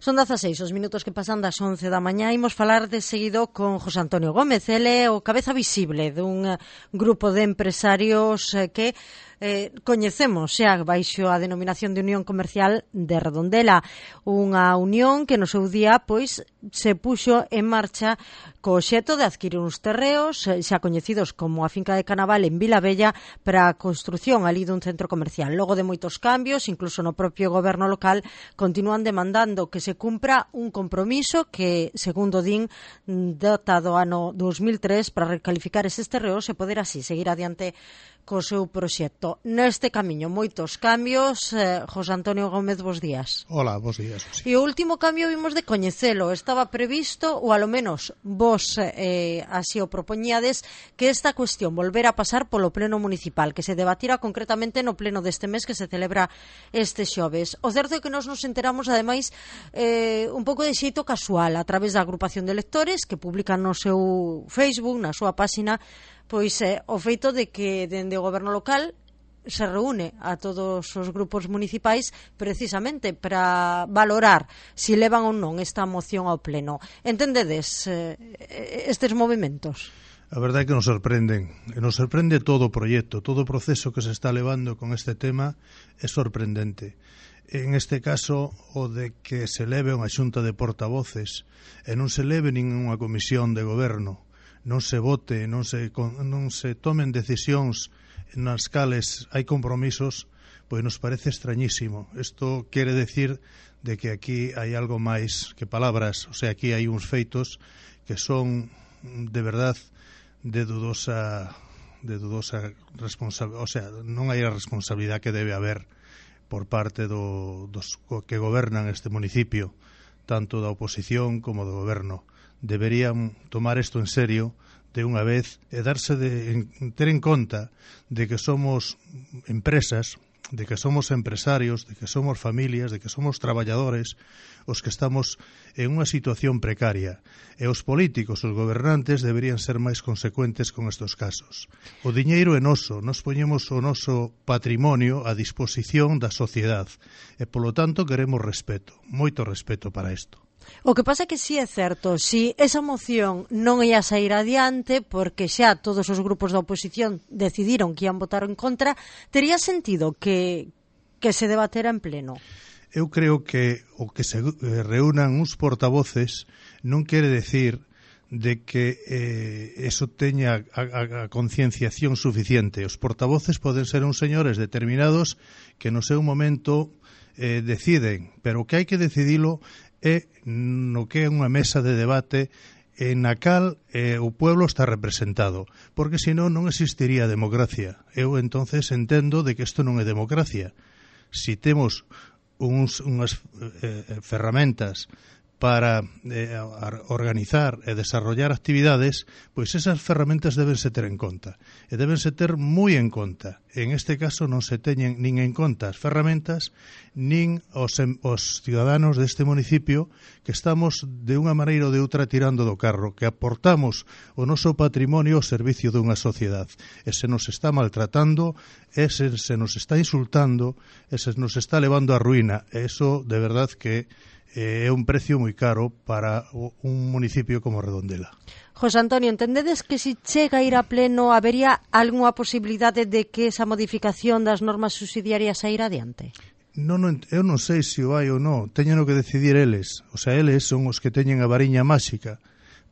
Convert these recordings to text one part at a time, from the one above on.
Son 16 os minutos que pasan das 11 da mañá. Imos falar de seguido con José Antonio Gómez. Ele é o cabeza visible dun grupo de empresarios que coñecemos xa baixo a denominación de Unión Comercial de Redondela, unha unión que no seu día pois se puxo en marcha co obxecto de adquirir uns terreos xa coñecidos como a finca de Canaval en Vilabella para a construción ali dun centro comercial. Logo de moitos cambios, incluso no propio goberno local, continúan demandando que se cumpra un compromiso que, segundo din, data do ano 2003 para recalificar eses terreos e poder así seguir adiante co seu proxecto. Neste camiño, moitos cambios. José Antonio Gómez, bos días. Hola, bos días. E o último cambio vimos de coñecelo. Estaba previsto, ou alo menos vos así o propoñíades, que esta cuestión volvera a pasar polo pleno municipal, que se debatira concretamente no pleno deste mes que se celebra este xoves. O certo é que nos enteramos, ademais, un pouco de xeito casual, a través da agrupación de lectores que publican no seu Facebook, na súa páxina, pois o feito de que dende o goberno local se reúne a todos os grupos municipais precisamente para valorar se levan ou non esta moción ao pleno. Entendedes estes movimentos? A verdade é que nos sorprende todo o proxecto, todo o proceso que se está levando con este tema é sorprendente. En este caso, o de que se leve unha xunta de portavoces e non se leve ninguna comisión de goberno, non se vote, non se tomen decisións nas cales hai compromisos, pois nos parece extrañísimo. Isto quere decir de que aquí hai algo máis que palabras, o sea, aquí hai uns feitos que son de verdad de dudosa responsabilidade, o sea, non hai a responsabilidade que debe haber por parte dos que gobernan este municipio, tanto da oposición como do goberno. Deberían tomar isto en serio de unha vez e ter en conta de que somos empresas, de que somos empresarios, de que somos familias, de que somos traballadores os que estamos en unha situación precaria, e os políticos, os gobernantes deberían ser máis consecuentes con estes casos. O diñeiro é noso, nos poñemos o noso patrimonio a disposición da sociedade e polo tanto queremos respeto, moito respeto para isto. O que pasa é que si é certo, si esa moción non ia sair adiante porque xa todos os grupos da oposición decidiron que ian votar en contra, tería sentido que se debatera en pleno? Eu creo que o que se reúnan uns portavoces non quere decir de que eso teña a concienciación suficiente. Os portavoces poden ser uns señores determinados que no seu momento deciden, pero o que hai que decidilo é no que é unha mesa de debate en a cal o pueblo está representado, porque senón non existiría democracia. Eu entonces entendo de que isto non é democracia. Si temos unhas ferramentas para organizar e desarrollar actividades, pois esas ferramentas débense ter en conta. E débense ter moi en conta. En este caso non se teñen nin en conta as ferramentas, nin os ciudadanos deste municipio que estamos de unha maneira ou de outra tirando do carro, que aportamos o noso patrimonio ao servicio dunha sociedade. E se nos está maltratando, e se nos está insultando, e se nos está levando á ruína. E iso, de verdad, que é un precio moi caro para un municipio como Redondela. José Antonio, entendedes que se chega a ir a pleno habería algunha posibilidade de que esa modificación das normas subsidiarias a ir adiante? Eu non sei se o hai ou non, teñen que decidir eles. O sea, eles son os que teñen a variña máxica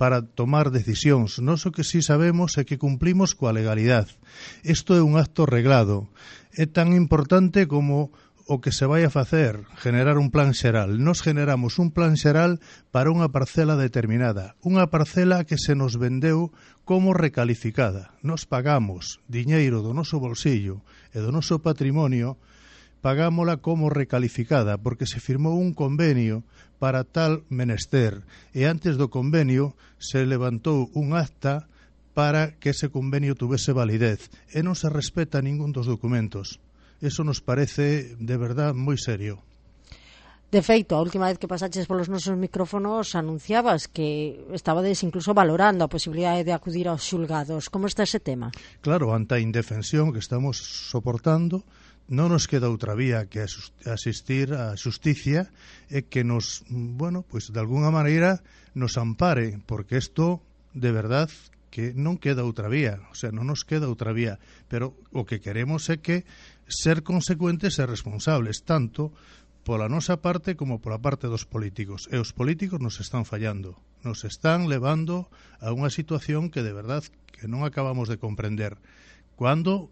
para tomar decisións. Nós o que sí sabemos é que cumplimos coa legalidade. Isto é un acto reglado. É tan importante como o que se vai a facer, generar un plan xeral. Nos generamos un plan xeral para unha parcela determinada, unha parcela que se nos vendeu como recalificada. Nos pagamos diñeiro do noso bolsillo e do noso patrimonio, pagámola como recalificada, porque se firmou un convenio para tal menester, e antes do convenio se levantou un acta para que ese convenio tuvese validez, e non se respeta ningún dos documentos. Eso nos parece, de verdad, moi serio. De feito, a última vez que pasaches polos nosos micrófonos anunciabas que estabades incluso valorando a posibilidade de acudir aos xulgados. Como está ese tema? Claro, ante a indefensión que estamos soportando non nos queda outra vía que asistir á xusticia e que nos, bueno, pois de alguna maneira nos ampare, porque isto de verdad que non queda outra vía, o sea, non nos queda outra vía, pero o que queremos é que ser consecuentes e responsables, tanto pola nosa parte como pola parte dos políticos. E os políticos nos están fallando, nos están levando a unha situación que de verdad que non acabamos de comprender. Cuando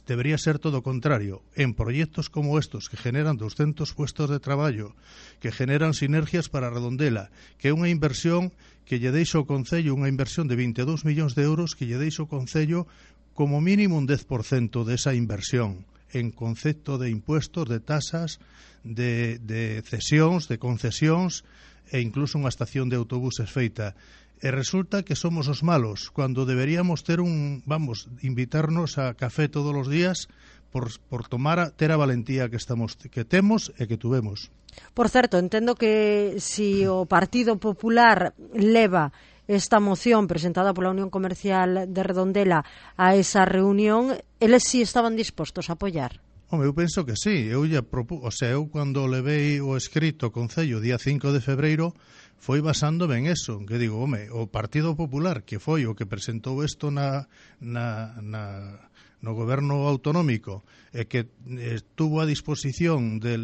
debería ser todo o contrario, en proxectos como estos que generan 200 puestos de traballo, que generan sinergias para Redondela, que é unha inversión que lle deixa o Concello, unha inversión de 22 millóns de euros que lle deixa o Concello como mínimo un 10% desa inversión en concepto de impuestos, de tasas, de cesións, de concesións e incluso unha estación de autobuses feita. E resulta que somos os malos, cando deberíamos ter invitarnos a café todos os días por ter a valentía que temos e que tuvemos. Por certo, entendo que si o Partido Popular leva esta moción presentada pola Unión Comercial de Redondela a esa reunión, eles si estaban dispostos a apoiar. Home, eu penso que sí. Eu cando levei o escrito ao Concello día 5 de febreiro foi basándome en eso, que digo, home, o Partido Popular, que foi o que presentou isto no goberno autonómico e que tuvo a disposición de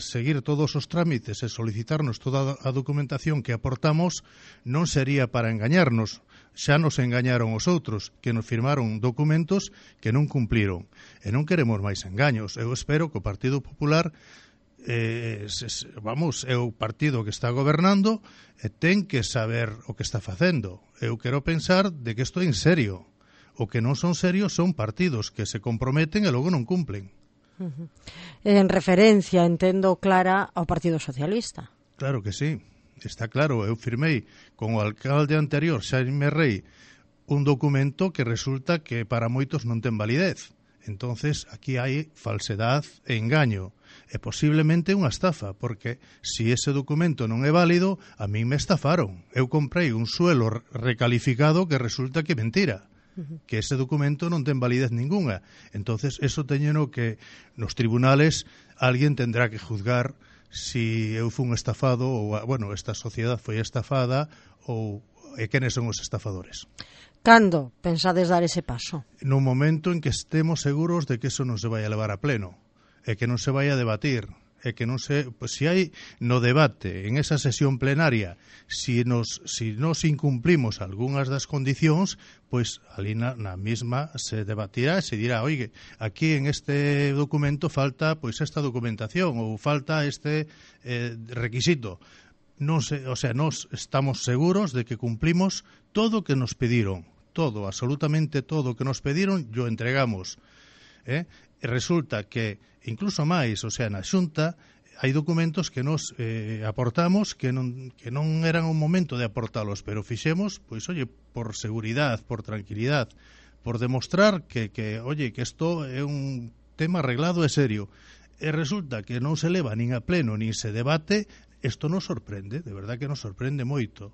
seguir todos os trámites e solicitarnos toda a documentación que aportamos, non sería para engañarnos. Xa nos engañaron os outros, que nos firmaron documentos que non cumpliron. E non queremos máis engaños. Eu espero que o Partido Popular é o partido que está gobernando e ten que saber o que está facendo. Eu quero pensar de que isto é en serio. O que non son serios son partidos que se comprometen e logo non cumplen. En referencia, entendo, clara, ao Partido Socialista. Claro que sí, está claro. Eu firmei con o alcalde anterior, Xaime Rei, un documento que resulta que para moitos non ten validez. Entonces, aquí hai falsedad e engaño. E posiblemente unha estafa, porque se ese documento non é válido, a mí me estafaron. Eu comprei un suelo recalificado que resulta que é mentira, que ese documento non ten validez ningunha. Entonces, eso teñeno que nos tribunales alguén tendrá que juzgar si eu fui un estafado ou, bueno, esta sociedade foi estafada ou quenes son os estafadores. Cando pensades dar ese paso? No momento en que estemos seguros de que eso non se vai a levar a pleno e que non se vai a debatir e que non se, pues, si hai no debate en esa sesión plenaria si nos incumplimos algunhas das condicións, pois ali na mesma se debatirá e se dirá, oye, aquí en este documento falta pois esta documentación ou falta este requisito. Non sei, o sea, nos estamos seguros de que cumplimos todo o que nos pediron, todo, absolutamente todo o que nos pediron, yo entregamos. E resulta que incluso máis, o sea, na Xunta hai documentos que nos aportamos que non eran o momento de aportalos, pero fixemos, pois, oye, por seguridade, por tranquilidade, por demostrar que isto é un tema arreglado e serio. E resulta que non se leva nin a pleno, nin se debate, isto nos sorprende, de verdad que nos sorprende moito.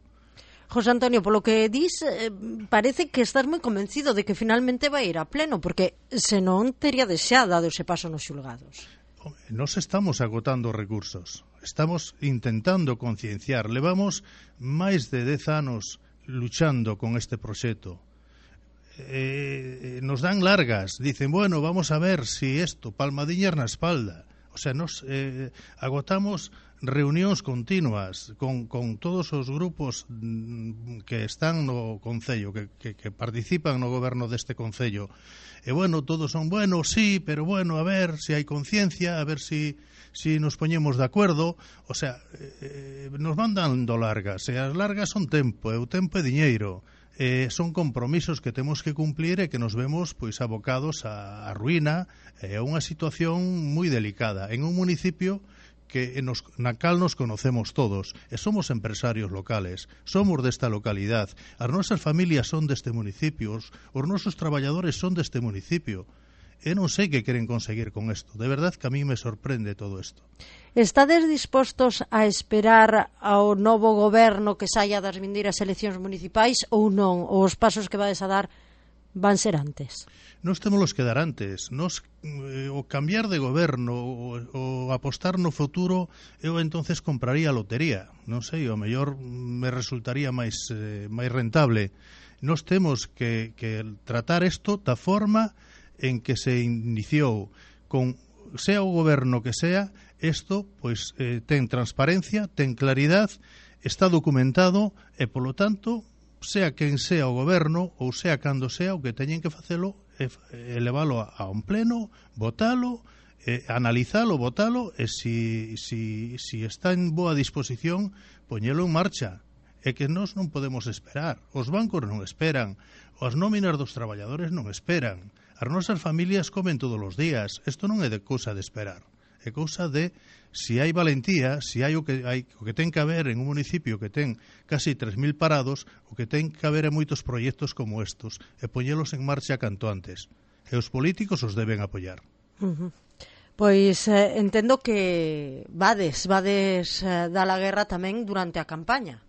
José Antonio, polo que dis, parece que estás moi convencido de que finalmente vai ir a pleno, porque senón tería xa dado ese paso nos xulgados. Nos estamos agotando recursos, estamos intentando concienciar, levamos máis de 10 anos luchando con este proxecto. Nos dan largas, dicen, bueno, vamos a ver si esto, palmadiñas na espalda. O sea, nos agotamos reunións continuas con todos os grupos que están no Concello, que participan no goberno deste Concello. E, bueno, todos son, bueno, sí, pero, bueno, a ver si hai conciencia, a ver si nos poñemos de acuerdo. O sea, nos van dando largas, e as largas son tempo, e o tempo é diñeiro. Son compromisos que temos que cumplir e que nos vemos pois abocados á ruína e a unha situación moi delicada en un municipio na cal nos conocemos todos e somos empresarios locales, somos desta localidade, as nosas familias son deste municipio, os nosos traballadores son deste municipio. Eu non sei que queren conseguir con isto. De verdade que a mí me sorprende todo isto. Estades dispostos a esperar ao novo goberno que saia das vindeiras eleccións municipais ou non? Os pasos que vades a dar van ser antes? Nós temos que dar antes. O cambiar de goberno, o apostar no futuro, eu entonces compraría a lotería. Non sei, o mellor me resultaría máis rentable. Nós temos que tratar isto da forma en que se iniciou, con sea o goberno que sea, isto pois ten transparencia, ten claridade, está documentado e, polo tanto, sea quen sea o goberno ou sea cando sea, o que teñen que facelo é elevalo a un pleno, votalo, analizalo, votalo e si está en boa disposición, poñelo en marcha. É que nós non podemos esperar, os bancos non esperan, as nóminas dos traballadores non esperan, as nosas familias comen todos os días. Isto non é de cousa de esperar, é cousa de si hai valentía, si hai o que ten que haber en un municipio que ten casi 3.000 parados, o que ten que haber en moitos proxectos como estos, e poñelos en marcha canto antes. E os políticos os deben apoiar. Pois entendo que vades da la guerra tamén durante a campaña.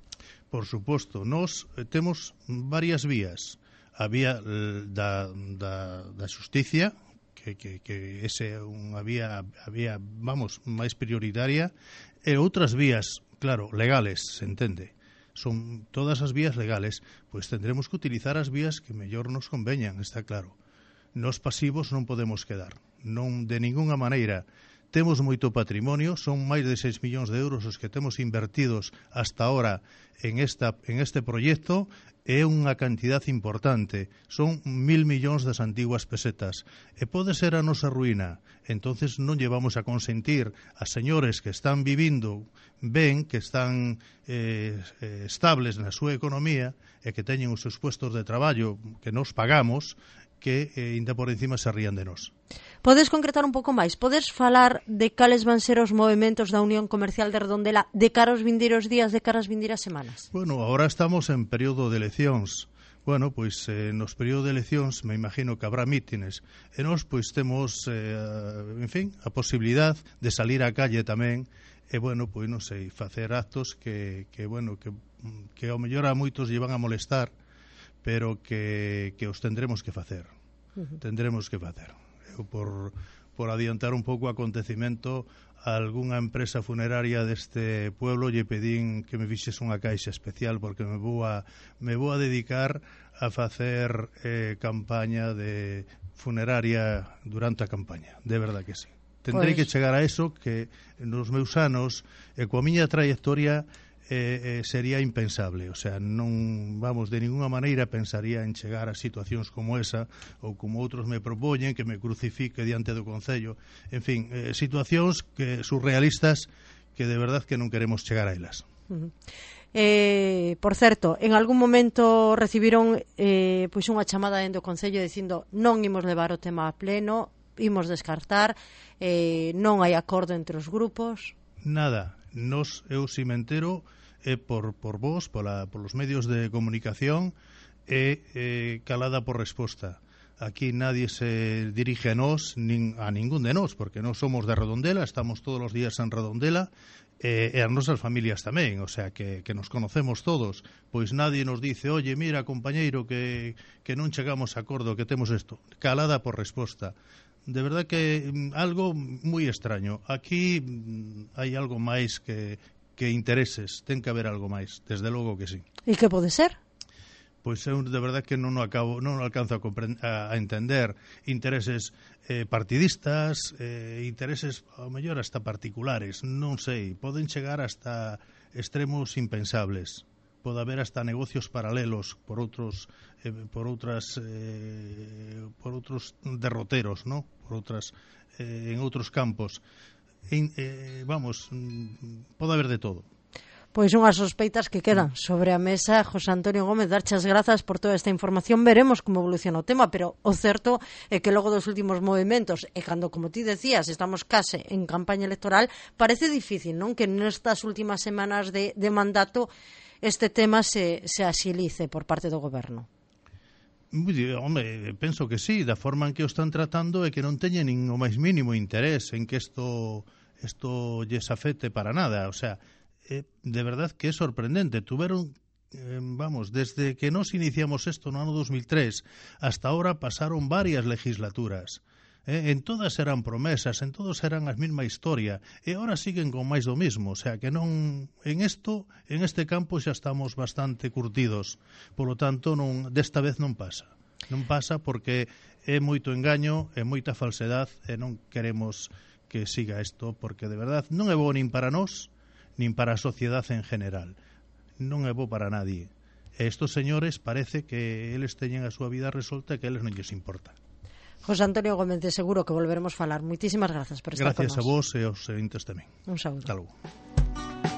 Por suposto, nós temos varias vías. A vía da xusticia, que ese é unha vía, vamos, máis prioritaria, e outras vías, claro, legales, se entende. Son todas as vías legales, pois tendremos que utilizar as vías que mellor nos conveñan, está claro. Nos pasivos non podemos quedar, non de ningunha maneira. Temos moito patrimonio, son máis de 6 millóns de euros os que temos invertidos hasta ahora en este proxecto, é unha cantidad importante, son 1.000 millóns das antiguas pesetas, e pode ser a nosa ruína. Entonces non llevamos a consentir a señores que están vivindo ben, que están estables na súa economía e que teñen os seus puestos de traballo que nos pagamos, que ainda por encima se rían de nós. Podes concretar un pouco máis? Podes falar de cales van ser os movementos da Unión Comercial de Redondela de cara aos vindeiros días, de cara ás vindeiras semanas? Bueno, agora estamos en período de eleccións. Bueno, pois nos períodos de eleccións me imagino que habrá mítines. E nós pois temos, en fin, a posibilidade de salir á calle tamén e, bueno, pois non sei, facer actos que ao mellor a moitos llevan a molestar, pero que os tendremos que facer. Tendremos que facer. Eu, por adiantar un pouco o acontecimento, a algunha empresa funeraria deste pueblo lle pedín que me fixes unha caixa especial porque me vou a dedicar a facer campaña de funeraria durante a campaña. De verdad que sí. Tendrei que chegar a eso, que nos meus anos e coa miña trayectoria sería impensable, o sea, non, vamos, de ninguna maneira pensaría en chegar a situacións como esa, ou como outros me propoñen, que me crucifique diante do Concello, en fin, situacións que surrealistas que de verdad que non queremos chegar a elas. Por certo, en algún momento recibiron pois unha chamada dentro do Concello dicindo non imos levar o tema a pleno, imos descartar, non hai acordo entre os grupos. Nada, eu si me entero por vos, polos medios de comunicación, calada por resposta. Aquí nadie se dirige a nós, nin a ningún de nós, porque nós somos de Redondela, estamos todos os días en Redondela, e as nosas familias tamén, o sea, que nos conocemos todos. Pois nadie nos dice, oye, mira, compañeiro, que non chegamos a acordo, que temos isto. Calada por resposta. De verdad que algo moi extraño. Aquí hai algo máis que intereses, ten que haber algo máis, desde logo que sí. E que pode ser? Pois eu de verdad que non alcanzo a entender intereses partidistas, intereses ao mellor hasta particulares, non sei, poden chegar hasta extremos impensables. Pode haber hasta negocios paralelos por outros derroteros, ¿no? En outros campos. Vamos, pode haber de todo. Pois unhas sospeitas que quedan sobre a mesa. José Antonio Gómez, darchas grazas por toda esta información. Veremos como evoluciona o tema, pero o certo é que logo dos últimos movimentos, e cando, como ti decías, estamos case en campaña electoral, parece difícil, non? Que nestas últimas semanas de mandato este tema se axilice por parte do goberno. Home, penso que sí, da forma en que o están tratando é que non teñen nin o máis mínimo interés en que isto lles afecte para nada, o sea, de verdad que é sorprendente. Tuveron vamos, desde que nos iniciamos isto no ano 2003 hasta ahora pasaron varias legislaturas. En todas eran promesas, en todos eran a mesma historia, e ahora siguen con máis do mismo, o sea que non, en este campo xa estamos bastante curtidos, polo tanto desta vez non pasa. Non pasa porque é moito engaño, é moita falsedade e non queremos que siga isto porque de verdad non é bo nin para nós, nin para a sociedade en general. Non é bo para nadie. E estos señores parece que eles teñen a súa vida resolta e que eles non lles importa. José Antonio Gómez, seguro que volveremos falar. Moitísimas grazas por estar con nós. Gracias a vos e aos seguintes tamén. Un saúdo. Hasta logo.